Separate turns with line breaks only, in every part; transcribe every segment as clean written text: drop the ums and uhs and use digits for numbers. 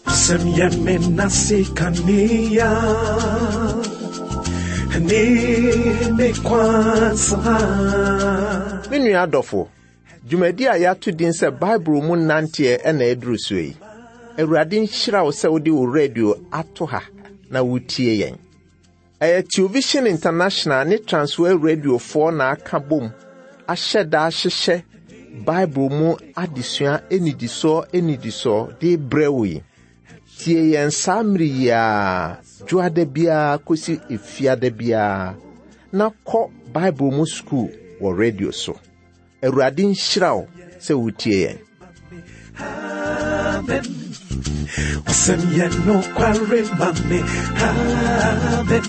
W'asɛm yɛ me nase kanea ne me kwansa.
Me nua adɔfo, dwumadi a yɛato din sɛ Bible mu nanteɛ na ɛduru so yi. Awurade nhyira wo sɛ wode wo radio ato ha na wotie yɛn. Ɛyɛ Television International ne Transworld Radiofoɔ na aka bom ahyɛ da ahyehyɛ Bible mu adesua nnidisoɔ nnidisoɔ de brɛ wo yi. Tie yɛn saa mmere yi ara, dwoada biara kɔsi efiada biara, na kɔ Bible mu sukuu wɔ radio so. Awurade nhyira wo sɛ wotie yɛn.
Amen. W'asɛm yɛ nokware ma me. Amen.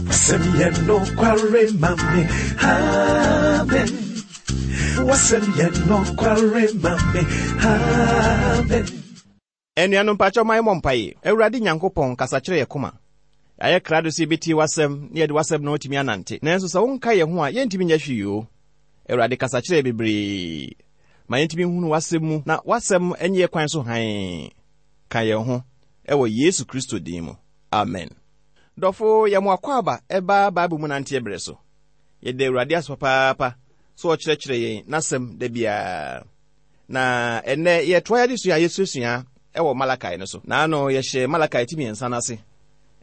W'asɛm yɛ nokware ma me. Amen. W'asɛm yɛ nokware ma me. Amen.
Anuanom mpakyɛw ma yɛmmɔ mpae. Awurade Nyankopɔn, kasa kyerɛ yɛn koma. Yɛayɛ krado sɛ yɛbɛtie w'asɛm na yɛde w'asɛm no atumi anante. Nanso sɛ wonka yɛn ho a, yɛntumi nyɛ hwee o. Awurade, kasa kyerɛ yɛn bebree. Ma yɛntumi nhunu w'asɛm mu na w'asɛm nyɛ yɛn kwan so hann. Ka yɛn ho wɔ Yesu Kristo din mu. Amen. Dɔfo, yɛ mo akwaaba ɛba Bible mu nanteɛ berɛ so. Yɛda Awurade ase papaapa sɛ ɔkyerɛkyerɛ yɛn n'asɛm da biara. Na ɛnnɛ yɛtoa yɛn adesua a yɛsuasua wɔ Malakai no so. Na ano yɛhyɛ Malakai ti mmiɛnsa no ase.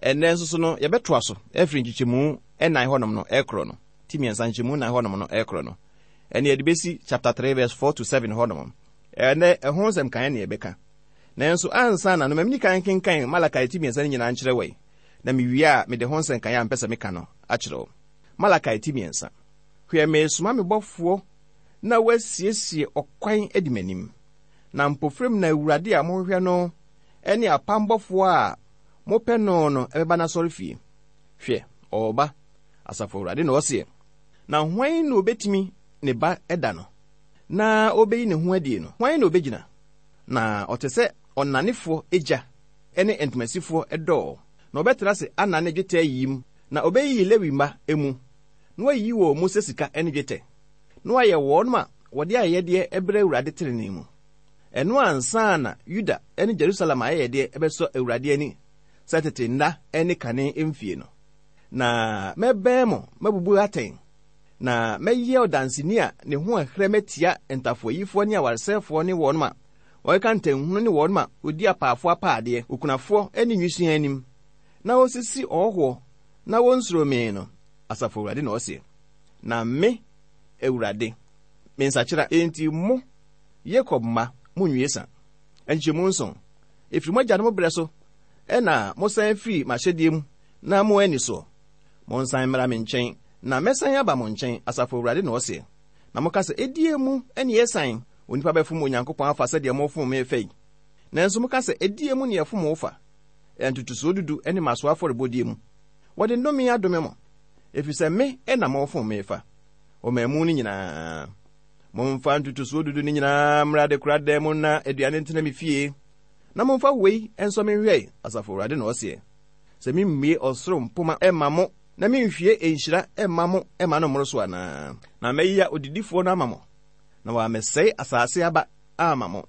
Ɛnnɛ nso so no yɛbɛtoa so afiri nkyekyɛmu nnan hɔnom no ɛkorɔ no. Ti mmiɛnsa nkyekyɛmu nnan hɔnom no ɛkorɔ no. Ɛne yɛde bɛsi chapter 3 verse 4 to 7 hɔnom. Ɛnnɛ ɛho nsɛm kan ne yɛbɛka. Nanso ansa na no mamini kan kenkan Malakai ti mmiɛnsa no nyinaa nkyerɛ wɔ na mewie a mede ho nsɛnkan a mpɛ sɛ meka no akyerɛ wo. Malakai ti mmiɛnsa. Hwɛ meresoma me bɔfoɔ na wasiesie ɔkwan adi m'anim. Na mpofirim na Awurade a mohwehwɛ no ne apam bɔfoɔ a mopɛ no no bɛba n'asɔrefie. Hwɛ, ɔreba, Asafo Awurade na ɔseɛ. Na hwan na obetumi ne ba da no, na obeyi ne ho adie no? Hwan na obegyina? Na ɔte sɛ ɔnanefoɔ gya ne ntomasifoɔ dɔɔ, na ɔbɛtena ase anane dwetɛ ayiyim, na obeyiyi Lewi mma mu, na wayiyi wɔn mu sɛ sika ne dwetɛ. na wɔayɛ wɔn a wɔde ayɛyɛdeɛ brɛ Awurade tenenee mu. Ɛno ansa na Yuda ne Jerusalem ayɛyɛdeɛ bɛsɔ Awurade ani sɛ tete nna ne kane mfie no. Na mɛbɛn mo mabubu atɛn, na mɛyɛ ɔdanseni a ne ho ɛherɛ matia ntafoayifoɔ ne awaresɛefoɔ ne wɔn a wɔkeka ntɛnhunu ne wɔn a wɔdi apaafoɔ apaadeɛ, okunafoɔ ne nwisiaa anim, na wɔsisi ɔhɔhoɔ na wɔnsuro me no, Asafo Awurade na ɔseɛ. Na me, Awurade, mensakyera. Enti mo, Yakob mma, munnwie sa. Nkyɛmu nson, ɛfiri mo agyanom berɛ so na mosan firii m'ahyɛdeɛ mu na moanni soɔ. Monsan mmra me nkyɛn, na mɛsan aba mo nkyɛn, Asafo Awurade na ɔseɛ. Na moka sɛ, Ɛdeɛn mu na yɛsan? Onipa bɛfom Onyankopɔn afa sɛdeɛ mofom me fa yi? Nanso moka sɛ, Ɛdeɛn mu na yɛfom wo fa? Ntotosoɔ dudu ne mmasoɔ afɔrebɔdeɛ mu. Wɔde nnome adome mo, ɛfiri sɛ me na mofom me fa, ɔman mu no nyinaa. Momfa ntotosoɔ dudu no nyinaa mmra adekoradan mu na aduane ntena me fie, na momfa wei nsɔ me nhwɛ, Asafo Awurade na ɔseɛ, sɛ memmue ɔsoro mpoma mma mo na menhwie nhyira mma mo mma no mmoro so anaa. Na mɛyea odidifoɔ no ama mo, na wammɛsɛe asase aba amma mo,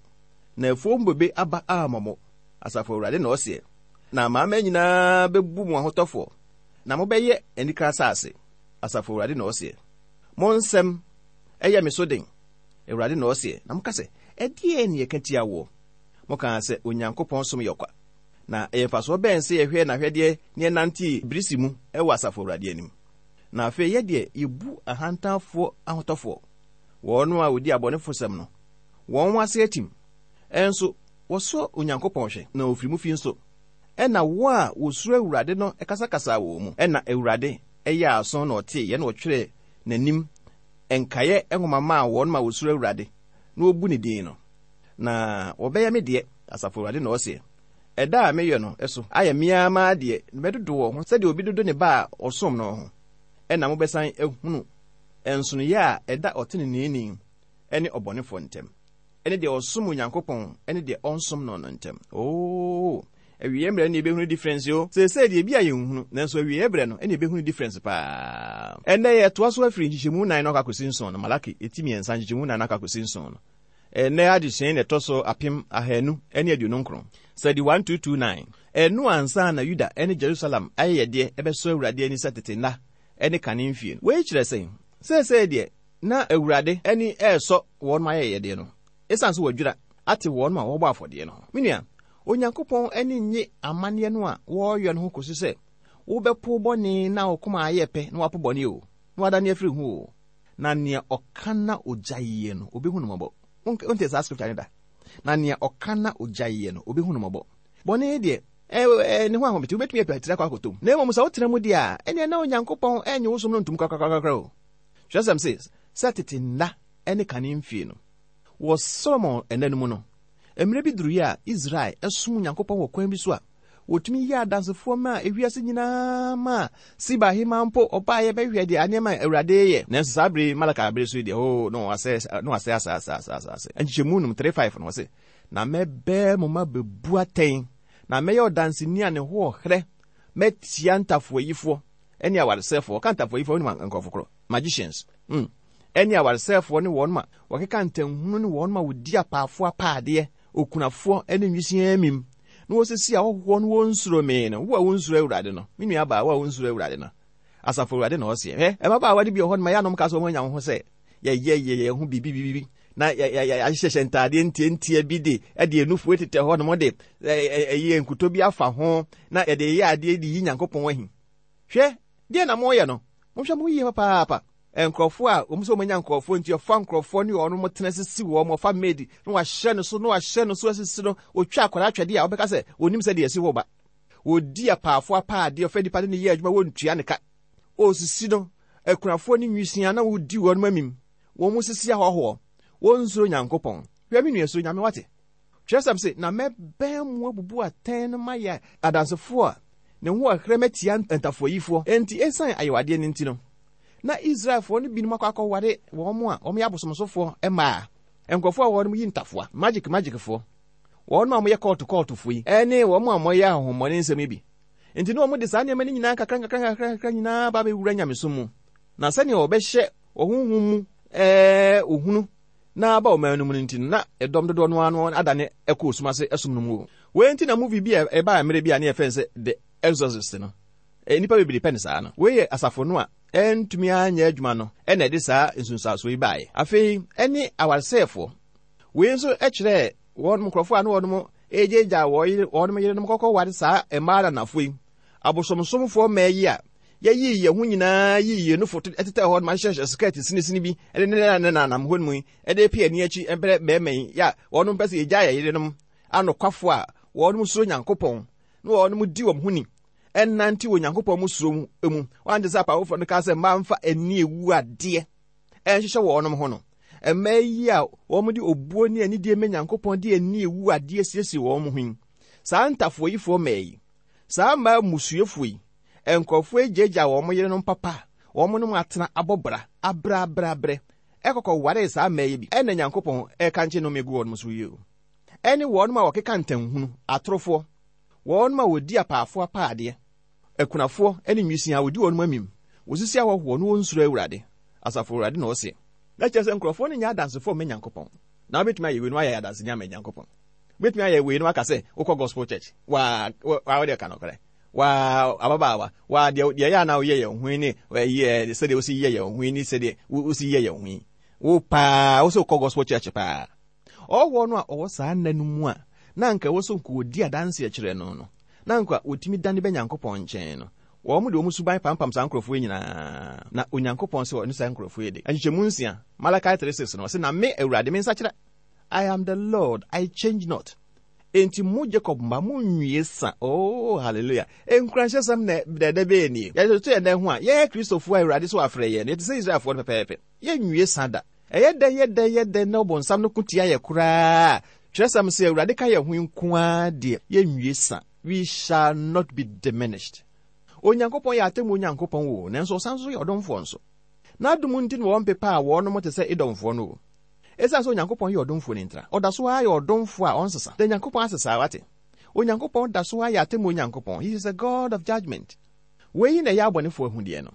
na afuo mu bobe aba ammɔ mo, Asafo Awurade na ɔseɛ. Na amanaman nyinaa bɛbu mo ahotɔfoɔ, na mobɛyɛ anika asase, Asafo Awurade na ɔseɛ. Mo nsɛm yɛ me so den, Awurade na ɔseɛ, na moka sɛ, Ɛdeɛn na yɛka tia woɔ? Mokaa sɛ, Onyankopɔn som yɛ ɔkwa. Na ɛyɛ mfasoɔ bɛn sɛ yɛhwɛɛ n'ahwɛdeɛ na yɛnantee birisi mu wɔ Asafo Awurade anim? Na afei yɛ deɛ yɛbu ahantanfoɔ ahotɔfoɔ, wɔn a wɔdi abɔnefosɛm no, wɔn ase atim, nso wɔsɔ Onyankopɔn hwɛ, na wɔfiri mu fi nso. Ɛnna wɔn a wɔsuro Awurade no kasakasaa wɔn mu. Ɛnna Awurade yɛɛ aso na ɔteeɛ, na ɔtwerɛɛ n'anim nkaeɛ nwoma maa wɔn a wɔsuro Awurade na wɔbu ne din no. Na wɔbɛyɛ me deɛ, Asafo Awurade na ɔseɛ. Ɛda a meyɛ no so ayɛ me ara m'adeɛ, na mɛdodo wɔn ho sɛdeɛ obi dodo ne ba a ɔsom no ho. Ɛnna mobɛsan ahunu nsonoeɛ a ɛda ɔteneneeni ne ɔbɔnefoɔ ntam. ne deɛ ɔsom Onyankopɔn ne deɛ ɔnsom no no ntam. Oo, awieɛ mmerɛ no na yɛbɛhunu difference o. Seesei deɛ ebi a yɛnhunu, nanso awieɛ berɛ no na yɛbɛhunu difference paa. Ɛnnɛ yɛtoa so afiri nkyekyɛmu nnan no akɔ akɔsi nson no, Malaki eti mmiɛnsa nkyekyɛmu nnan no akɔ akɔsi nson no. Ɛnnɛ adesua yi na ɛtɔ so 1229. Sɛde 1229. Ɛno ansa na Yuda ne Jerusalem ayɛyɛdeɛ bɛsɔ Awurade ani sɛ tete nna ne kane mfie no. Wei kyerɛ sɛn? Seesei deɛ, na Awurade ani resɔ wɔn ayɛyɛdeɛ no, ɛsiane sɛ wɔadwira ate wɔn a wɔbɔ afɔdeɛ no ho. Me nua, Onyankopɔn ani nnye amanneɛ no a wɔreyɔ no ho kɔsi sɛ wobɛpo bɔne na wo koma ayɛ pɛ na woapo bɔne o, na woadane afiri ho o. Na nea ɔka na ogyaeɛ no, obehu no mmɔbɔ. Wonte saa scripture no da? Na nea ɔka na ogyaeɛ no, obehu no mmɔbɔ. Bɔne deɛ, ɛɛ, ne ho ahomete, wobɛtumi apira tiri akɔ akɔtɔ mu. Na mmom sɛ wotena mu deɛ a, ɛnneɛ na Onyankopɔn ɛnnye wo som no ntom korakorakora o. Twerɛsɛm se, sɛ tete nna ne kane mfie no. Wɔ Solomon nna no mu no, mmerɛ bi duruiɛ a Israel som Onyankopɔn wɔ kwan bi so a wɔtumi yɛɛ adansefoɔ maa ewiase nyinaa maa Seba hemaa mpo ɔbaeɛ bɛhwɛɛ deɛ nneɛma a Awurade reyɛ. Nanso saa bere yi, Malakai bere so yi deɛ, oo, na wɔasɛe, na wɔasɛe asaase, asaase, asaase. Nkyekyɛmu num, 3, 5 no, ɔse, Na mɛbɛɛ mo ma bɛbu atɛn, na mɛyɛ ɔdanseni a ne ho ɔherɛ mɛtia ntafoayifoɔ ne awaresɛefoɔ. Ɔka ntafoayifoɔ a, wonim nkurɔfo korɔ? Magicians. Mm. Ɛne awaresɛefoɔ ne wɔn a wɔkeka ntɛnhunu ne wɔn a wɔdi apaafoɔ apaadeɛ, okunafoɔ ne nwisiaa amim, na wɔsisi ahɔhoɔ no wɔnsuro me no. Wo a wonsuro Awurade no, me nuabaa, wo a wonsuro Awurade no, Asafo Awurade na ɔseɛ. Hwɛ, mmabaawa no bi wɔ hɔ no ma yɛanom ka sɛ wɔn anya wo ho sɛ yɛyɛ yɛ yɛn ho biribi biribi na yɛahyehyɛ ntaadeɛ ntiantia bi de ɛde nufoɔ tetɛ hɔ nom de ɛyɛ nkuto bi afa ho na yɛde yɛ adeɛ de yi Nyankopɔn ahi. Hwɛ, deɛ na moyɛ no, monhwɛ mo yie papaapa. Nkurɔfoɔ a wɔn sɛ wɔanya nkurɔfoɔ nti ɔfa nkurɔfoɔ ne wɔn tena sisi wɔn, ɔfa maid na wahyɛ no so na wahyɛ no so asisi no, ɔtwa akwadaa twɛdeɛ a wɔbɛka sɛ wɔnim sɛ deɛ ɛsi hɔ ba. Wɔdi apaafoɔ apaadeɛ, ɔfa nipa ne ne yɛ adwuma wɔntua ne ka. Ɔsisi no, akunafoɔ ne nwisiaa na wɔdi wɔn amim, wɔn sisi ahɔhoɔ, wɔnsuro Nyankopɔn. Hwɛ me nua, suro Nyame wate. Twerɛsɛm se, Na mɛbɛn mo abubu atɛn no mayɛ adansefoɔ a ne ho ɔherɛ matia ntafoayifoɔ. Enti esiane ayewadeɛ no nti no, na Israelfoɔ no binom akɔ akɔware wɔn a wɔyɛ abosomsomfoɔ mmaa, nkurɔfoɔ a wɔnom yi ntafoa, magic magicfoɔ, wɔn a wɔyɛ kɔɔto kɔɔtofoɔ yi, ne wɔn a wɔyɛ ahonhommɔne nsɛm yi bi. Enti na wɔde saa nneɛma no nyinaa nkakra nkakra nkakra nkakra nyinaa ba abɛwura nyamesom mu, na sɛnea wɔbɛhyɛ wɔ honhom mu ɛɛ ohunu na aba ɔman no mu no nti no, na ɛdɔm dodoɔ no ara no adane kɔ osum ase som no mu o. Wei nti na movie bi a ɛbaa mmerɛ bi a ne yɛfrɛ no sɛ The Exorcist no, nnipa bebree pɛ no saa no. Wei yɛ asafo no a ɛntumi anyɛ adwuma no na ɛde saa nsunsuansoɔ yi baeɛ. Afei ɛne awaresɛefoɔ. Wei nso kyerɛɛ wɔn nkurɔfoɔ a na wɔn regyaagyaa wɔn yere wɔn yerenom kɔkɔware saa mmaa ananafoɔ yi, abosomsomfoɔ mmaa yi a yɛyii yɛn ho nyinaa yii yɛn nufo tetɛɛ hɔ ma hyehyɛ skɛt sinisini bi de ne ne nanam hɔ mu yi de pe ani akyi brɛ mmarima yi a wɔn mpɛ sɛ yɛgyaa yɛn yerenom anokwafo a wɔn suro Nyankopɔn na wɔn di wɔn ho ni ɛnante wɔ Nyankopɔn mu suro mu. Wɔante sɛ apaafoɔ no kaa sɛ mmaa mfa ani ewu adeɛ ɛnhyehyɛ wɔn ho no. Mmaa yi a wɔde obuo ne anidie ma Nyankopɔn de ani ewu adeɛ siesie wɔn ho yi, saa ntafoayifoɔ mmaa yi, saa mmaa mmusuafoɔ yi, nkurɔfoɔ yi gyaagyaa wɔn yerenom papa a wɔn ne wɔn atena abɔ bra abrɛabrɛabrɛ ɛkɔkɔ waree saa mmaa yi bi. Ɛna Nyankopɔn ɛrekankye nnome gu wɔn so yi o. Ɛne wɔn a wɔkeka ntanhunu, atorofoɔ, wɔn a wɔdi apaafoɔ apaadeɛ, akunafoɔ ne nwisiaa a wɔdi wɔn amim, wɔsisi ahɔhoɔ na wɔnsuro Awurade, Asafo Awurade na ɔseɛ. Na kyerɛ sɛ nkurɔfoɔ no nyɛ adansefoɔ mma Nyankopɔn. Na wobɛtumi ayɛ wei na woayɛ adanseni ama Nyankopɔn. Wobɛtumi ayɛ wei na woaka sɛ wokɔ gospel church. Waa, waa wode ka nokorɛ. Waa, ababaawa, waa deɛ deɛ ɛyɛ a na woyɛ yɛn ho yi ne ɛyi sɛdeɛ wosi yɛ yɛn ho yi ne sɛdeɛ wosi yɛ yɛn ho yi. Wo paa, wo sɛ wokɔ gospel church paa. Ɔhɔhoɔ no a ɔwɔ saa nna no mu a na anka ɛwɔ sɛ nka ɔdi adanseɛ kyerɛ no no, na anka ɔtumi dane ba Nyankopɔn nkyɛn no, wɔn de wɔn suban pampam saa nkurɔfoɔ yi nyinaa, na Onyankopɔn sɛ ɔne saa nkurɔfoɔ yi de. Nkyekyɛmu nsia, Malachi 3:6 no, ɔse, Na me, Awurade, mensakyera. I am the Lord, I change not. Enti mo Jacob mma, monnwie sa. Oh, hallelujah. Nkuranhyɛsɛm na dɛdɛ bɛyɛ nie. Yɛtoto yɛn nan ho a, yɛn Kristofoɔ a Awurade so afrɛ yɛn no, yɛte sɛ Israelfoɔ no pɛpɛɛpɛ. Yɛnwie sa da. Ɛyɛ dɛn, yɛ dɛn, yɛ dɛn na ɔbonsam no ko tia yɛ koraa a, twerɛsɛm se Awurade ka yɛn ho nko ara deɛ, yɛnwie sa. We shall not be diminished. Onyankopɔn yɛ atemmuo Nyankopɔn o, nanso ɔsan nso yɛ ɔdomfoɔ nso. N'adom nti na wɔmpepaa wɔnom te sɛ Edomfoɔ no o. Esiane sɛ Onyankopɔn yɛ ɔdomfoɔ no ntira, ɔda so ara yɛ ɔdomfoɔ a ɔnsesa. Da Nyankopɔn ase saa, wate? Onyankopɔn da so ara yɛ atemmuo Nyankopɔn. He is a God of judgment. Wei na ɛyɛ abɔnefoɔ ahudeɛ no.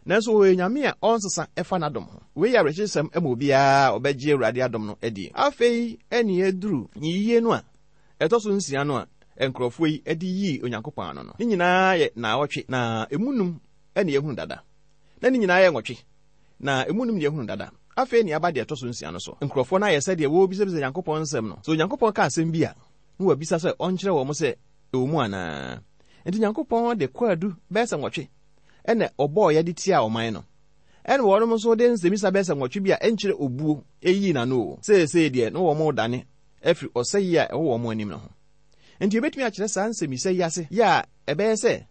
Nanso ɔyɛ Onyame a ɔnsesa ɛfa n'adom ho. Wei yɛ awerɛkyekyesɛm ma obiara a ɔbɛgye Awurade adom no adie. Afei ɛne aduru nyiyie no a ɛtɔ so nsia no a nkurɔfoɔ yi de yii Onyankopɔn ano no. Ne nyinaa yɛ naawɔtwe, na ɛmu num na yɛahunu dada. Na ne nyinaa yɛ nwɔtwe, na ɛmu num na yɛahunu dada. Afei ne aba deɛ ɛtɔ so nsia no so. Nkurɔfoɔ no ayɛ sɛdeɛ wɔrebisabisa Onyankopɔn nsɛm no. Sɛ Onyankopɔn ka asɛm bi a, na wɔabisa sɛ ɔnkyerɛ wɔn sɛ ɛwɔ mu anaa. Enti Onyankopɔn de kwaadu bɛyɛ sɛ nwɔtwe na ɔbɔeɛ de tiaa ɔman no. Ɛna wɔnom nso de nsɛmmisa bɛyɛ sɛ nwɔtwe bi a ɛnkyerɛ obuo yii n'ano o. Seesei deɛ na wɔredane afiri ɔsɛeɛ a ɛwɔ wɔn anim no ho. Enti yɛbɛtumi akyerɛ saa nsɛmmisa yi ase yɛ a ɛbɛyɛ sɛ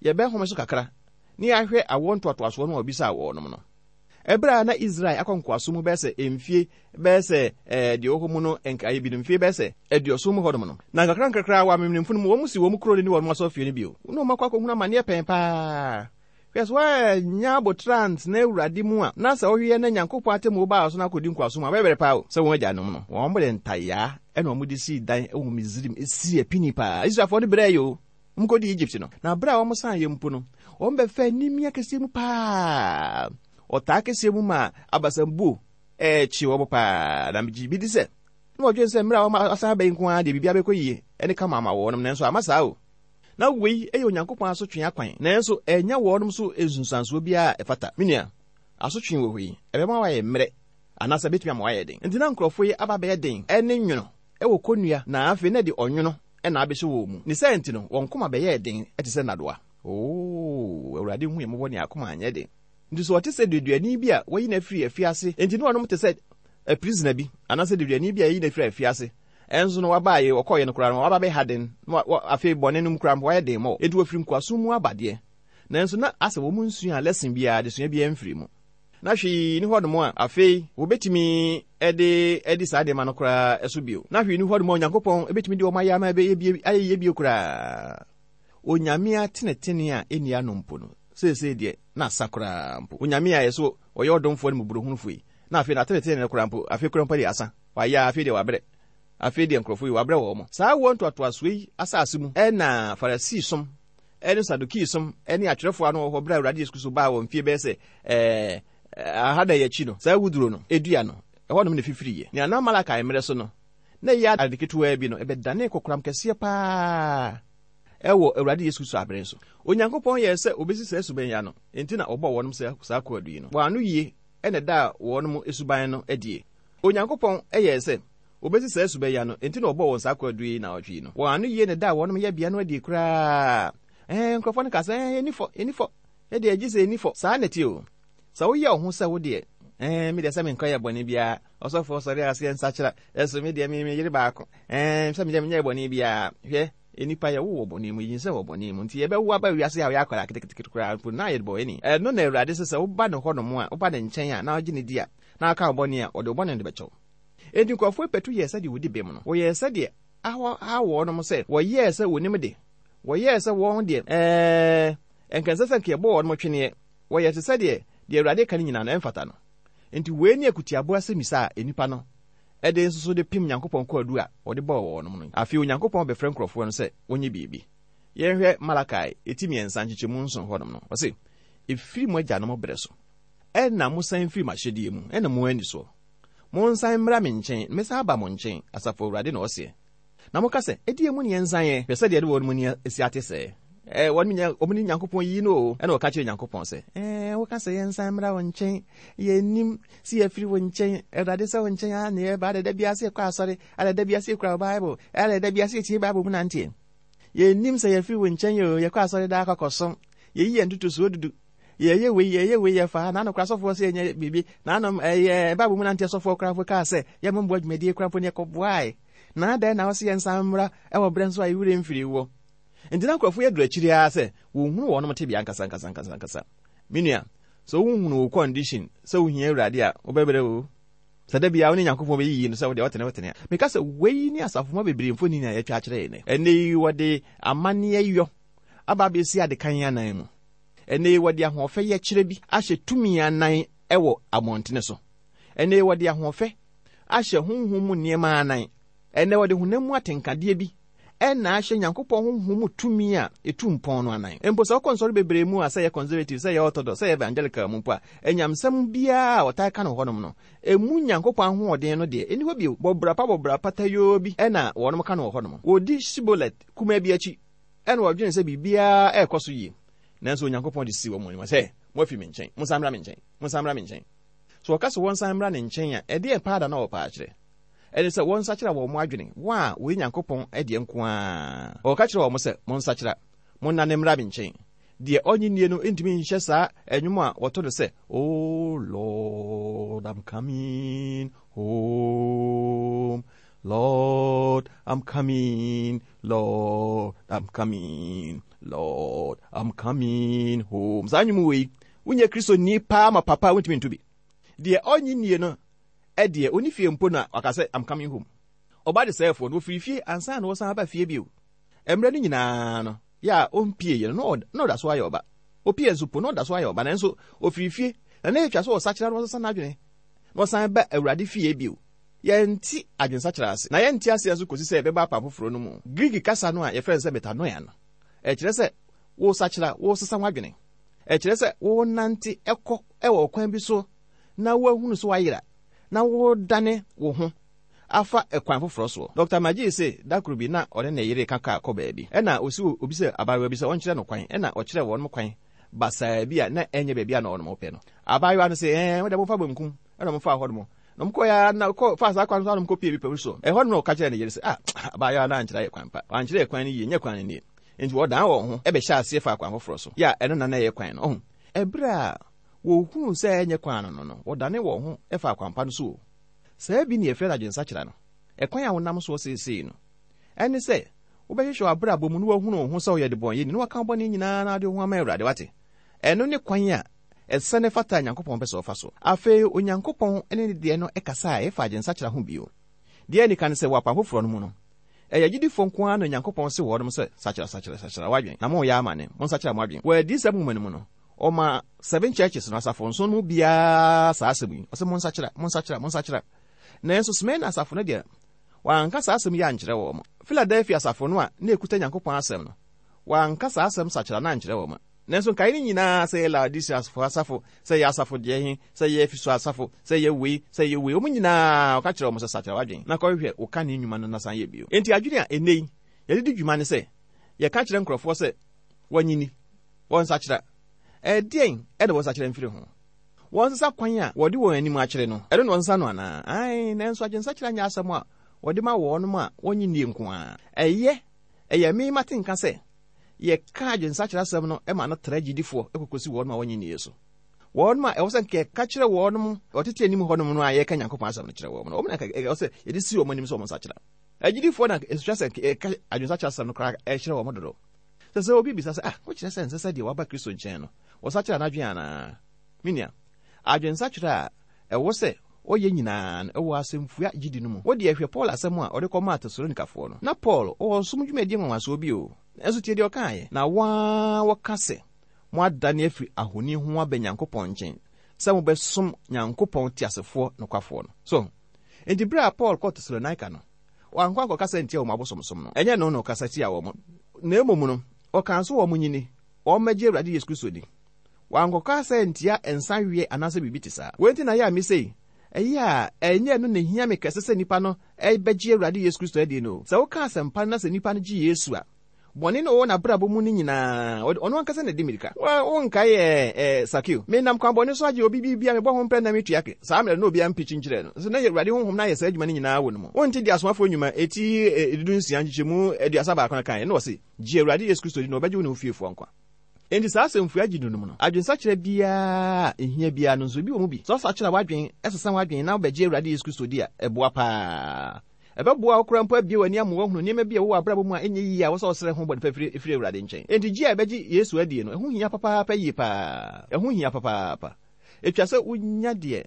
yɛbɛhome so kakra na yɛahwɛ awoɔ ntoatoasoɔ no a wɔbisaa wɔnom no. Ɛberɛ a na Israel akɔ nkoasom mu bɛyɛ sɛ mfie bɛyɛ sɛ ɛɛ deɛ ɛwɔ hɔ mu no nkaeɛ bi no mfie bɛyɛ sɛ aduɔson mu hɔnom no, na nkakrankakra wɔ amemenemfo no mu wɔn si wɔn kuro no ne wɔn asɔrefie no bio, na wɔn akɔ akɔhunu amaneɛ pɛn paa. Hwɛ, sɛ woannya aboterɛ antena Awurade mu a, na sɛ wohwehwɛ na Nyankopɔn atemmuo baa wo so na akɔdi nkoasom mu a, wobɛbrɛ paa o. Sɛ wɔn agyanom no, wɔde ntayaa na wɔde sii dan wɔ Misraim, ɛsii apini paa. Israelfoɔ no brɛɛe o. Wɔkɔdii Egypt no, na berɛ a wɔsaeɛ mpo no, wɔbɛfaa animia kɛseɛ mu paa, ɔtaa kɛseɛ mu maa abasambuo ɛrekye wɔn paa. Na megye bi di sɛ, na wɔdwene sɛ mmerɛ a wɔasan aba yi nko ara deɛ biribiara bɛkɔ yie ne kama ama wɔnom, nanso amma saa o. Na wei yɛ Onyankopɔn asotwe akwan, nanso ɛnnya wɔnom so nsunsuansoɔ biara a ɛfata. Me nua, asotwe wɔ hɔ yi, ɛbɛma woayɛ mmerɛ, anaasɛ ɛbɛtumi ama woayɛ den. Enti na nkurɔfoɔ yi aba abɛyɛ den ne nwono wɔ kɔnnua, na afei na ɛde ɔnwono na abɛhyɛ wɔn mu. Ne saa nti no, wɔn koma bɛyɛɛ den te sɛ nnadewa. Oo, Awurade nhu yɛn mmɔbɔ ne yɛn akoma anyɛ den. Nti sɛ ɔte sɛ deduani bi a wɔayi no afiri afiase, enti ne wɔnom te sɛ prisoner bi, anaasɛ deduani bi a yɛayi no afiri afiase, ɛnso no waba a ɔkɔeɛ no koraa no, waba bɛha den, na afei bɔne no mu koraa mpo wayɛ den mɔ. Enti wɔfiri nkoasom mu aba deɛ, nanso na asɛ wɔn nsuaa lesson biara, adesua biara mfiri mu. Na hwee nni hɔnom a afei wɔbɛtumi de adi saa nneɛma no koraa so bio. Na hwee nni hɔnom a Onyankopɔn bɛtumi de wɔn ayɛ ama ɛbɛyɛ bie, ayɛ yie bio koraa. Onyame atenetene a ɛnni ano mpo no, seesei deɛ, na asa koraa mpo. Onyame a yɛso ɔyɛ ɔdomfoɔ ne mmɔborɔhunufoɔ yi, na afei n'atenetene no koraa mpo, afei koraa mpo deɛ asa. Wayɛ a, afei deɛ wabrɛ. Afei deɛ nkurɔfoɔ yi, wabrɛ wɔn. Saa awoɔ ntoatoasoɔ yi asase mu na Farisisom ne Sadukiisom ne atwerɛfoɔ a na wɔwɔ hɔ berɛ a Awurade Yesu Kristo baa wɔ mfeɛ bɛyɛ sɛ ɛɛ ahanan akyi no, saa awuduro no dua no, ɛhɔnom na ɛfifiriiɛ. Nea na Malakai mmerɛ so no, na ɛyɛ ade ketewaa bi no, ɛbɛdanee kokoram kɛseɛ paa wɔ Awurade Yesu Kristo abere so. Onyankopɔn yɛɛ sɛ ɔbɛsi saa suban yi ano, enti na ɔbɔɔ wɔnom saa kwaadu yi no. Wɔn ano yie na ɛdaa wɔnom suban no adie. Onyankopɔn yɛɛ sɛ Wobesi saa suban yi ano, enti na wɔbɔɔ wɔn saa kwaadu yi naawɔtwe yi no. Wɔn ano yie na ɛdaa wɔnom yɛbea no adi koraa. Ɛɛ, nkurɔfoɔ no kaa sɛ, ɛɛ, yɛnni fɔ, yɛnni fɔ. Yɛ deɛ, gye sɛ yɛnni fɔ. Saa na ɛte o. Sɛ woyɛ wo ho sɛ wo deɛ, ɛɛ, me deɛ sɛ menkɔyɛ bɔne biara, ɔsɔfoɔ sɔre a ɔse yɛnsakyera, ɛso me deɛ me, me yere baako, ɛɛ, sɛ me deɛ menyɛɛ bɔne biara. Hwɛ, nnipa yɛwo wɔ bɔne mu, yɛnyinsɛn wɔ bɔne mu, nti yɛbɛwo aba wiase a woyɛ akwadaa ketekete koraa mpo na yɛde bɔne. Ɛno na Awurade se sɛ woba ne hɔnom a, woba ne nkyɛn a, na wogye no di a, na woka wo bɔne a, ɔde wo bɔne no de bɛkyɛ wo. Enti nkurɔfoɔ patu yɛɛ sɛdeɛ wɔdi bem no. Wɔyɛɛ sɛdeɛ ahaw wɔnom sɛ wɔyɛɛ sɛ wɔnim de. Wɔyɛɛ sɛ wɔn deɛ, ɛɛ, anka ɛnsɛ sɛ anka yɛbɔ wɔnom tweneɛ. Wɔyɛɛ te sɛdeɛ deɛ Awurade reka no nyinaa no, ɛmfata no. Enti wei ne akutiaboa asɛmmisa a nnipa no de nso so de pem Nyankopɔn kwaadu a wɔde bɔɔ wɔnom no. Afei Onyankopɔn bɛfrɛ nkurɔfoɔ no sɛ wɔnyɛ biribi. Yɛnhwɛ Malakai ti mmiɛnsa nkyekyɛmu nson hɔnom no, ɔse, Ɛfiri mo agyanom berɛ so na mosan firii m'ahyɛdeɛ mu, ɛna moanni soɔ. Monsan mmra me nkyɛn, na mɛsan aba mo nkyɛn, Asafo Awurade na ɔseɛ. Na moka sɛ, Ɛdeɛn mu na yɛnsan ɛ? Hwɛ sɛdeɛ ɛde wɔn ani asi ate sɛɛ! Ɛ, wɔn nya, wɔn ne Nyankopɔn yiyi no o. Ɛna wɔka kyerɛɛ Nyankopɔn sɛ, Ɛ, woka sɛ yɛnsan mmra wo nkyɛn. Yɛnnim sɛ yɛafiri wo nkyɛn. Awurade, sɛ wo nkyɛn ara na yɛba. Adɛn, da biara sɛ yɛkɔ asɔre? Adɛn, da biara sɛ yɛkura wo Bible? Adɛn, da biara sɛ yɛtie Bible mu nanteɛ? Yɛnnim sɛ yɛafiri wo nkyɛn o. Yɛkɔ asɔre daa kɔkɔsom. Yɛyi yɛn ntotosoɔ dudu. Yɛyɛ wei, yɛyɛ wei, yɛfa ha. Naano koraa sɔfoɔ sɛ yɛnyɛ biribi. Naano ɛyɛ Bible mu nanteɛ sɔfoɔ koraa mpo kaa sɛ yɛmmɔ mmoa dwumadie koraa mpo ne yɛkɔboae. Na adɛn na wose yɛnsan mmra wɔ berɛ nso a yɛwerɛ mfiri woɔ? Enti na nkurɔfoɔ yi aduru akyiri ara sɛ wɔnhunu wɔnom tebea ankasa ankasa ankasa ankasa. Me nua, sɛ wonhunu wo condition sɛ wohia Awurade a, wobɛbrɛ o. Sɛ da biara wo ne Nyankopɔn bɛyiyi no sɛ wodeɛ wotene wotene a. Meka sɛ wei ne asafomma bebree mfonini a yɛatwa akyerɛ yɛn nnɛ. Ɛnnɛ yi wɔde amanneɛ yɔ aba abɛsi adekan anan mu. Ɛnnɛ yi wɔde ahoɔfɛ yɛkyerɛ bi ahyɛ tumi anan wɔ abɔntene so. Ɛnnɛ yi wɔde ahoɔfɛ ahyɛ honhom mu nneɛma anan. Ɛnnɛ wɔde honam mu atenkadeɛ bi na ahyɛ Nyankopɔn honhom mu tumi a etu mpɔn no anan. Mpo sɛ wokɔ nsɔre bebree mu a, sɛ ɛyɛ Conservative, sɛ ɛyɛ Orthodox, sɛ ɛyɛ Evangelical mu mpo a, anyamesɛm biara a wɔtaa ka no wɔ hɔnom no, emu Nyankopɔn ahoɔden no deɛ, enni hɔ bio. Bɔ bra pa bɔ bra patayoo bi na wɔnom ka no wɔ hɔnom. Wɔdi Shibboleth kumaa bi akyi na wɔdwene sɛ biribiara rekɔ so yie. Nanso Onyankopɔn de si wɔn anim sɛ, Moafi me nkyɛn, monsan mmra me nkyɛn, monsan mmra me nkyɛn. So wɔka sɛ wɔnsan mmra ne nkyɛn a, ɛdeɛn paa da na wɔpɛ akyerɛ? Ɛne sɛ wɔnsakyera wɔn adwene, wɔn a wɔyɛ Nyankopɔn deɛ nko ara. Ɔka kyerɛ wɔn sɛ, Monsakyera, monnane mmra me nkyɛn. Deɛ ɔnnye nnie no ntumi nhyɛ saa nnwom a wɔto no sɛ, Oh Lord, I'm coming home, Lord, I'm coming, Lord, I'm coming, Lord, I'm coming home. Saa nnwom wei, wonyɛ Kristoni paa ma papa a wontumi nto bi. Deɛ ɔnnye nnie no deɛ, ɔnni fie mpo na waka sɛ, I'm coming home. Ɔba desɛefoɔ no, ɔfiri fie ansa na ɔsan aba fie bio. Mmerɛ no nyinaa no, yɛ a ɔmpieeɛ no, na ɔda so ayɛ ɔba. Ɔpie nso po, na ɔda so ayɛ ɔba, nanso ɔfiri fie, na na ɛtwa sɛ ɔsakyera na ɔsesa n'adwene, na ɔsan ba Awurade fie bio. Yɛnte adwensakyera ase, na yɛnte aseɛ nso kɔsi sɛ yɛbɛba apam foforɔ no mu. Greek kasa no a yɛfrɛ no sɛ metanoia no, ɛkyerɛ sɛ wosakyera, wosesa w'adwene. Ɛkyerɛ sɛ wonante kɔ wɔ ɔkwan bi so na woahunu sɛ woayera na woredane wo ho afa kwan foforɔ soɔ. Dɔkta Magee se da koro bi na ɔne ne yere reka kaa kɔ baabi. Ɛna ɔsi obi sɛ abaayewa bi sɛ ɔnkyerɛ no kwan. Ɛna ɔkyerɛɛ wɔnom kwan basaa bi a na ɛnyɛ baabi a na wɔnom pɛ no. Abaayewa no se, Ɛɛ, mo deɛ momfa benkum. Ɛna wɔfaa hɔnom. Na wɔkɔeɛ ara na kɔ faa saa kwan no so ara na wɔkɔpie bepɔ bi so. Ɛhɔ no na ɔka kyerɛɛ ne yere sɛ, Ah, abaayewa no ankyerɛ yɛ kwan pa. Wankyerɛ yɛ kwan no yie, nyɛ kwan no nie. Enti wɔdan wɔn ho bɛhyɛɛ aseɛ faa kwan foforɔ so. Yɛ a ɛno na na ɛyɛ kwan no. Ɔho? Ɛberɛ a wɔhunuu sɛ ɛnyɛ kwan no no no, wɔdane wɔn ho faa kwan pa no so o. Saa bi na yɛfrɛ no adwensakyera no. Ɛkwan a wonam soɔ seesei no, ɛne sɛ wobɛhwehwɛ w'abrabɔ mu na woahunu wo ho sɛ woyɛ debɔneyɛni na woaka wo bɔne nyinaa na wode wo ho ama Awurade. Wate? Ɛno ne kwan a ɛsɛ na ɛfata a Nyankopɔn pɛ sɛ ɔfa so. Afei Onyankopɔn ne ne deɛ no kasaeɛ fa adwensakyera ho bio. Deɛ ɛdi kan ne sɛ, wɔ Apam Foforɔ no mu no, ɛyɛ agyidifoɔ nko ara na Onyankopɔn se wɔnom sɛ, Sakyera, sakyera, sakyera w'adwene, na moreyɛ amane, monsakyera mo adwene. Wɔ Adiyisɛm nwoma no mu no, ɔmaa Seven Churches no, asafo nson no mu biara saa asɛm yi, ɔse, Monsakyera, monsakyera, monsakyera. Nanso Smyrna asafo no deɛ, wanka saa asɛm yi ankyerɛ wɔn. Philadelphia asafo no a na ɛkuta Nyankopɔn asɛm no, wanka saa asɛm sakyera no ankyerɛ wɔn. Nanso nkae no nyinaa, sɛ ɛyɛ Laodiceafo asafo, sɛ ɛyɛ asafo deɛ he, sɛ ɛyɛ Efeso asafo, sɛ ɛyɛ wei, sɛ ɛyɛ wei, wɔn nyinaa, ɔka kyerɛɛ wɔn sɛ, Sakyera w'adwene, na kɔhwehwɛ wo kane nnwuma no na san yɛ bio. Enti adwene a ɛnnɛ yi yɛde di dwuma ne sɛ yɛka kyerɛ nkurɔfoɔ sɛ wɔnyini, wɔnsakyera. Ɛdeɛn na wɔnsakyera mfiri ho? Wɔnsesa kwan a wɔde wɔn anim akyerɛ no, ɛno na wɔnsesa no anaa? Aane, nanso adwensakyera nyɛ asɛm a wɔde ma wɔnom a wɔnnye nnie nko ara. Ɛyɛ, ɛyɛ me mate nka sɛ yɛka adwensakyera asɛm no ma no tra gyidifoɔ kɔkɔsi wɔnom a wɔnnye nnie so. Wɔnom a ɛwɔ sɛ nka yɛka kyerɛ wɔnom wɔtete anim hɔnom no a yɛka Nyankopɔn asɛm no kyerɛ wɔn no, wɔn na nka ɛwɔ sɛ yɛde si wɔn anim sɛ wɔn nsakyera. Agyidifoɔ na ɛsua sɛ nka yɛka adwensakyera asɛm no koraa kyerɛ wɔn dodo. Sɛ sɛ obi bisa sɛ, Ah, wokyerɛ sɛ ɛnsɛ sɛ deɛ waba Kristo nkyɛn no, wɔsakyera n'adwene anaa? Me nua, adwensakyera a ɛwɔ sɛ ɔyɛ nyinaa no, ɛwɔ asɛmfua gyidi no mu. Wo deɛ, hwɛ Paul asɛm a ɔde kɔmaa Tesalonikafoɔ no. Na Paul wɔ ɔsom dwumadie nwanwasoɔ bi o, nanso tie deɛ ɔkaeɛ, Na wɔn ara wɔka sɛ, Moadane afiri ahoni ho aba Nyankopɔn nkyɛn sɛ mobɛsom Nyankopɔn teasefoɔ nokwafoɔ no. So ho? Enti berɛ a Paul kɔɔ Tesalonika no, wankɔ ankɔkasa antia wɔn abosomsom no. Ɛnyɛ ɛno na ɔkasa tiaa wɔn, na mmom no, ɔkaa sɛ wɔnyini, wɔmmɛgye Awurade Yesu Kristo di. Wankɔkasa antia nsa weɛ anaasɛ biribi te saa. Wei nti na ɛyɛ a mise yi, ɛyɛ a ɛnyɛ ɛno na ehia me kɛse sɛ nnipa no bɛgye Awurade Yesu Kristo adi no. Sɛ woka asɛmpa no na sɛ nnipa no gye Yesu a, bɔne no a ɔwɔ n'abrabɔ mu no nyinaa, ɔno ankasa na ɛdi mmirika. Wonkae ɛ, ɛ, Sakeo? Menam kwan bɔne so agye obi biribi a mebɔ ho mprɛ na metua ke. Saa mmerɛ no na obiara mpikyi nkyerɛɛ no. Nso na Awurade Honhom no ayɛ saa adwuma no nyinaa wɔ ne mu. Wonte deɛ Asomafoɔ Nnwuma, eti 16 nkyekyɛmu 31 no kaeɛ? Na ɔse, Gye Awurade Yesu Kristo di na wɔbɛgye wo ne wo fiefoɔ nkwa. Enti saa asɛmfua gye no mu no, adwensakyera biara a ehia biara no nso, ebi wɔ mu bi. Sɛ ɔsakyera w'adwene, sesa w'adwene na wobɛgye Awurade Yesu Kristo di a, ɛboa paa. Ɛbɛboa wo koraa mpo abue w'ani ama woahunu nneɛma bi a ɛwɔ w'abrabɔ mu a ɛnyɛ yiye a ɛwɔ sɛ wosrɛ ho bɔne fafiri firi Awurade nkyɛn. Enti gye a yɛbɛgye Yesu adie no, ɛho hia papaapa yie paa. Ɛho hia papaapa. Etwa sɛ wunya deɛ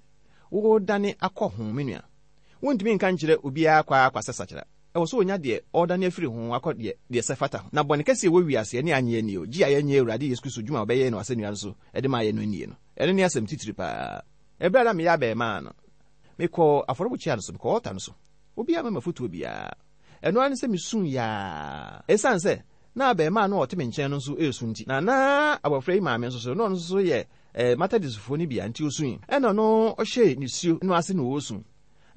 woredane akɔ ho, me nua. Wuntumi nka nkyerɛ obiara kwa ara kwa sɛ sakyera. Ɛwɔ sɛ onya deɛ ɔredane afiri ho akɔ deɛ deɛ ɛsɛ fata ho. Na bɔne kɛse a ɛwɔ wiase, ɛne annye annie o, gye a yɛnnye Awurade Yesu Kristo dwuma a ɔbɛyɛɛ no asɛnnua no so de maa yɛn no nnie no, ɛno ne asɛm titiri paa. Ɛberɛ a na meyɛ abarimaa no, mekɔɔ afɔrebukyia no so, mekɔɔ ɔlta no so. Obiara amma me afotuo biara. Ɛno ara ne sɛ misuu yaa. Esiane sɛ na abarimaa no a ɔte me nkyɛn no nso resu nti, na na abofra yi maame nso so, na ɔno nso so yɛ Methodistfo no bi a, nti osui. Ɛnna ɔno ɔhyɛɛ nisuo no ase na ɔresu.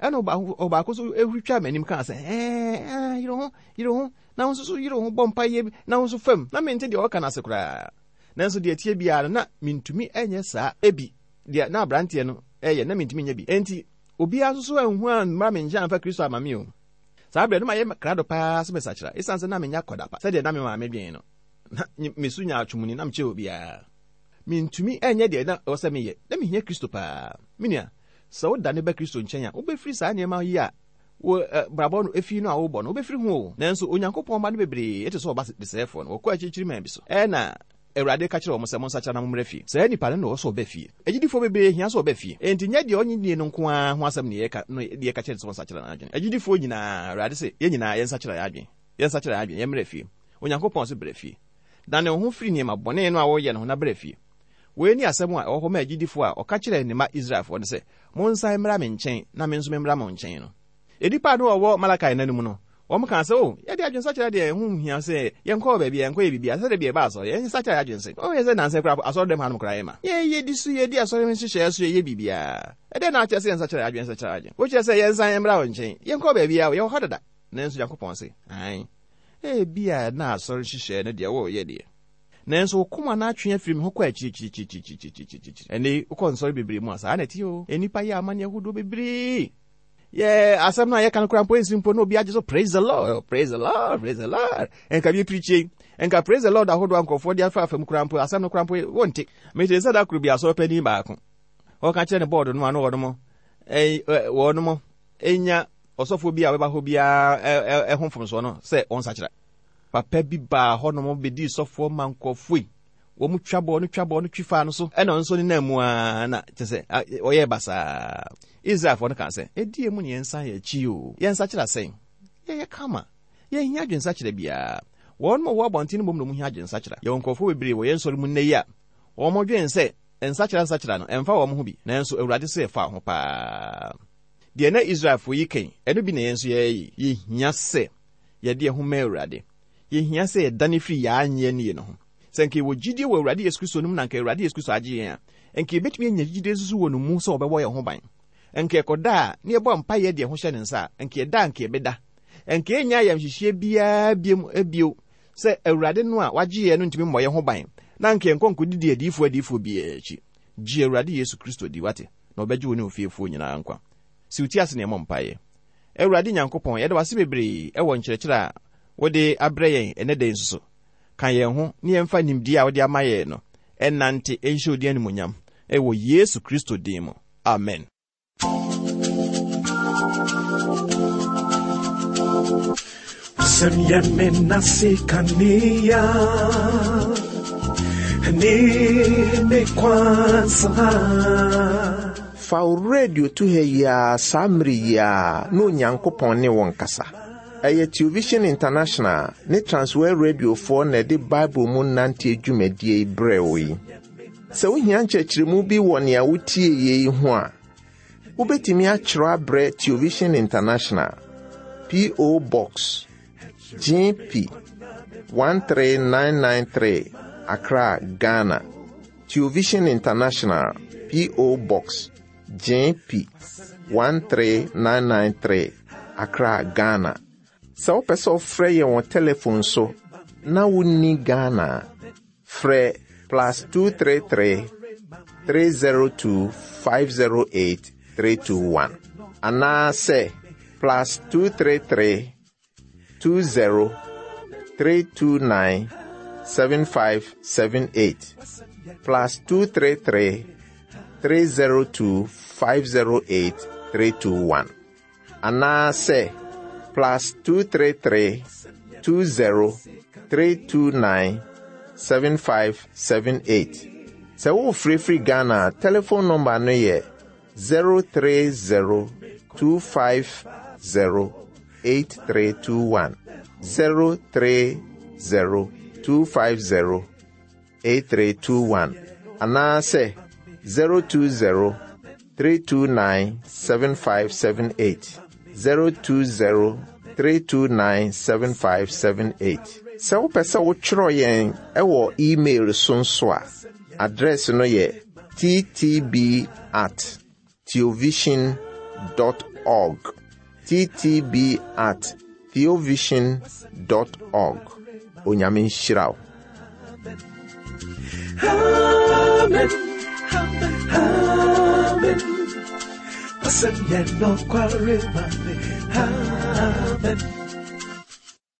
Ɛnna ɔbaako nso huri twaa m'anim kaa sɛ, Ɛɛ, yere ho, yere ho, na wo nso so yere ho bɔ mpaeɛ na wo nso fam. Na mente deɛ ɔreka no ase koraa. Nanso deɛ ɛteɛ biara no, na mintumi nyɛ saa bi. Deɛ na aberanteɛ no reyɛ, na mintumi nyɛ bi. Enti obiara nso so anhu ammra me nkyɛn amfa Kristo amma me o. Saa berɛ no, na mayɛ krado paa sɛ mɛsakyera. Esiane sɛ na menyɛ akwadaa pa sɛdeɛ na me maame dwen no, na me su nyaatwomni, na mekyɛ obiara. Mintumi nyɛ deɛ na ɛwɔ sɛ meyɛ. Na mehia Kristo paa. Me nua, sɛ wodane ba Kristo nkyɛn a, wobɛfiri saa nneɛma yi a wo brabɔ no efi no a wobɔ no, wobɛfiri ho o. Nanso Onyankopɔn mma no bebree te sɛ ɔba desɛefoɔ no, wɔkɔ akyirikyiri man bi so. Ɛnna Awurade ka kyerɛɛ wɔn sɛ, Monsakyera na mommra fie. Saa nipa no na ɔwɔ sɛ ɔba fie. Agyidifoɔ bebree hia sɛ wɔba fie. Enti nyɛ deɛ ɔnnye nnie no nko ara ho asɛm na yɛka no deɛ yɛka kyerɛ no sɛ ɔnsakyera n'adwene. Agyidifoɔ nyinaa, Awurade se, yɛn nyinaa yɛnsakyera yɛn adwene. Yɛnsakyera yɛn adwene, yɛmmra fie. Onyankopɔn se bra fie. Dane wo ho firi nneɛma bɔne no a woreyɛ no ho na bra fie. Wei ne asɛm a ɛwɔ hɔ ma agyidifoɔ a ɔka kyerɛɛ ne mma Israelfoɔ no sɛ, Monsan mmra me nkyɛn na me nso memmra mo nkyɛn no. Nnipa a na wɔwɔ Malakai nna no mu no, wɔkaa sɛ, O, yɛde adwensakyera deɛ ɛho nhia sɛ yɛnkɔ baabi a yɛnkɔyɛ biribiara, sɛ da bi yɛba asɔre, yɛnsakyera yɛn adwene sɛ, woyɛ sɛ nnansa yi koraa asɔredɛm hanom koraa yɛma yɛdi so, yɛdi asɔre ho nhyehyɛeɛ so, yɛyɛ biribiara. Ɛdɛn na akyerɛ sɛ yɛnsakyera yɛn adwene, nsakyera yɛn adwene? Wokyerɛ sɛ yɛnsan mmra wo nkyɛn? Yɛnkɔ baabiara o, yɛwɔ hɔ dada. Nanso Nyankopɔn se, Aane, ebia na asɔre nhyehyɛeɛ no deɛ woreyɛ deɛ, Nanso wo koma no atwe afiri me ho kɔ akyirikyirikyirikyirikyirikyiri. Ɛnnɛ yi, wokɔ nsɔre bebree mu a, saa na ɛte o. Nnipa yɛ amanneɛ ahodoɔ bebree. Yɛ asɛm no a yɛka no koraa mpo nsi mpo na obi agye so praise the Lord, praise the Lord, praise the Lord. Nka bi pirikyi, nka praise the Lord ahodoɔ a nkurɔfoɔ de afa afa mu koraa mpo asɛm no koraa mpo wonte. Mete sɛ da koro bi asɔre panin baako ɔka kyerɛ ne bɔɔdo no a na wɔnom wɔnom nya ɔsɔfoɔ bi a ɔbɛba hɔ biara ɛho mfomsoɔ no sɛ ɔnsakyera. Papa bi baa hɔnom bedii sɔfoɔ ma nkurɔfoɔ yi. Wɔn twa bɔɔ no twa bɔɔ no twi faa no so. Ɛna ɔno nso nenam mu ara na kyɛ sɛ ɔyɛɛ basaa. Israelfoɔ no kaa sɛ, Ɛdeɛn mu na yɛnsan yɛn akyi o? Yɛnsakyera sɛn? Yɛyɛ kama. Yɛnhia adwensakyera biara. Wɔn a wɔwɔ abɔnten no mmom na wɔhia adwensakyera. Yɛwɔ nkurɔfoɔ bebree wɔ yɛn nsɔre mu nnɛ yi a wɔdwen sɛ nsakyera nsakyera no, ɛmfa wɔn ho bi. Nanso Awurade se ɛfa wo ho paa. Deɛ na Israelfoɔ yi ka yi, ɛno bi na yɛn nso yɛyɛ yi. Yɛhia sɛ yɛde yɛn ho ma Awurade. Yɛhia sɛ yɛdane firi yɛn annye annie no ho. Sɛ anka yɛwɔ gyidie wɔ Awurade Yesu Kristo no mu na anka Awurade Yesu Kristo agye yɛn a, anka yɛbɛtumi anya gyidie nso so wɔ no mu sɛ ɔbɛbɔ yɛn ho ban. Anka yɛkɔda a, na yɛbɔ mpaeɛ de yɛn ho hyɛ ne nsa a, anka yɛda a anka yɛbɛda. Anka yɛnnya ayamhyehyeɛ biara biom bio sɛ Awurade no a wagye yɛn no ntumi mmɔ yɛn ho ban, na anka yɛnkɔ nkɔdidi adiyifoɔ adiyifoɔ biara akyi. Gye Awurade Yesu Kristo di, wate, na ɔbɛgye wo ne wo fiefoɔ nyinaa nkwa. Si wo ti ase na yɛmmɔ mpaeɛ. Awurade Nyankopɔn, yɛda wo ase bebree wɔ nkyerɛkyerɛ a wode abrɛ yɛn ɛnnɛ da yi nso so. Ka yɛn ho na yɛmfa nimdeɛ a wode ama yɛn no nnante nhyɛ wo din animuonyam wɔ Yesu Kristo din mu. Amen.
Sɛm yɛ me nase kanea ne me kwansa.
Fa wo radio to ha yi ara saa mmere yi ara na Onyankopɔn ne wo nkasa. Ɛyɛ Television International ne Transworld Radiofoɔ na ɛde Bible mu nanteɛ dwumadie yi brɛɛ wo yi. Sɛ wohia nkyerɛkyerɛmu bi wɔ nea wotie yi ho a, wobɛtumi akyerɛ abrɛ Television International, P.O. Box, GP 13993, Accra, Ghana. Television International, P.O. Box, JP 13993, Accra, Ghana. Sɛ wopɛ sɛ wofrɛ yɛn wɔ telefon so na wonni Ghana a, frɛ plus 233 302 508 321 anaasɛ plus 233 20 329 7578 plus 233 302 508 321 anaasɛ plus 233 20 329 7578. Sɛ worefrɛfiri Ghana a, telefon nɔmba no yɛ 030 250 8321. 030 250 8321 anaasɛ 020 329 7578. 020 329 7578. Sɛ wopɛ sɛ wotwerɛ yɛn ɛwɔ email so nso a, adrɛs no yɛ ttb at theovision dot org. Ttb at theovision dot org. Onyame nhyira wo.
Amen. Amen. Amen. Amen.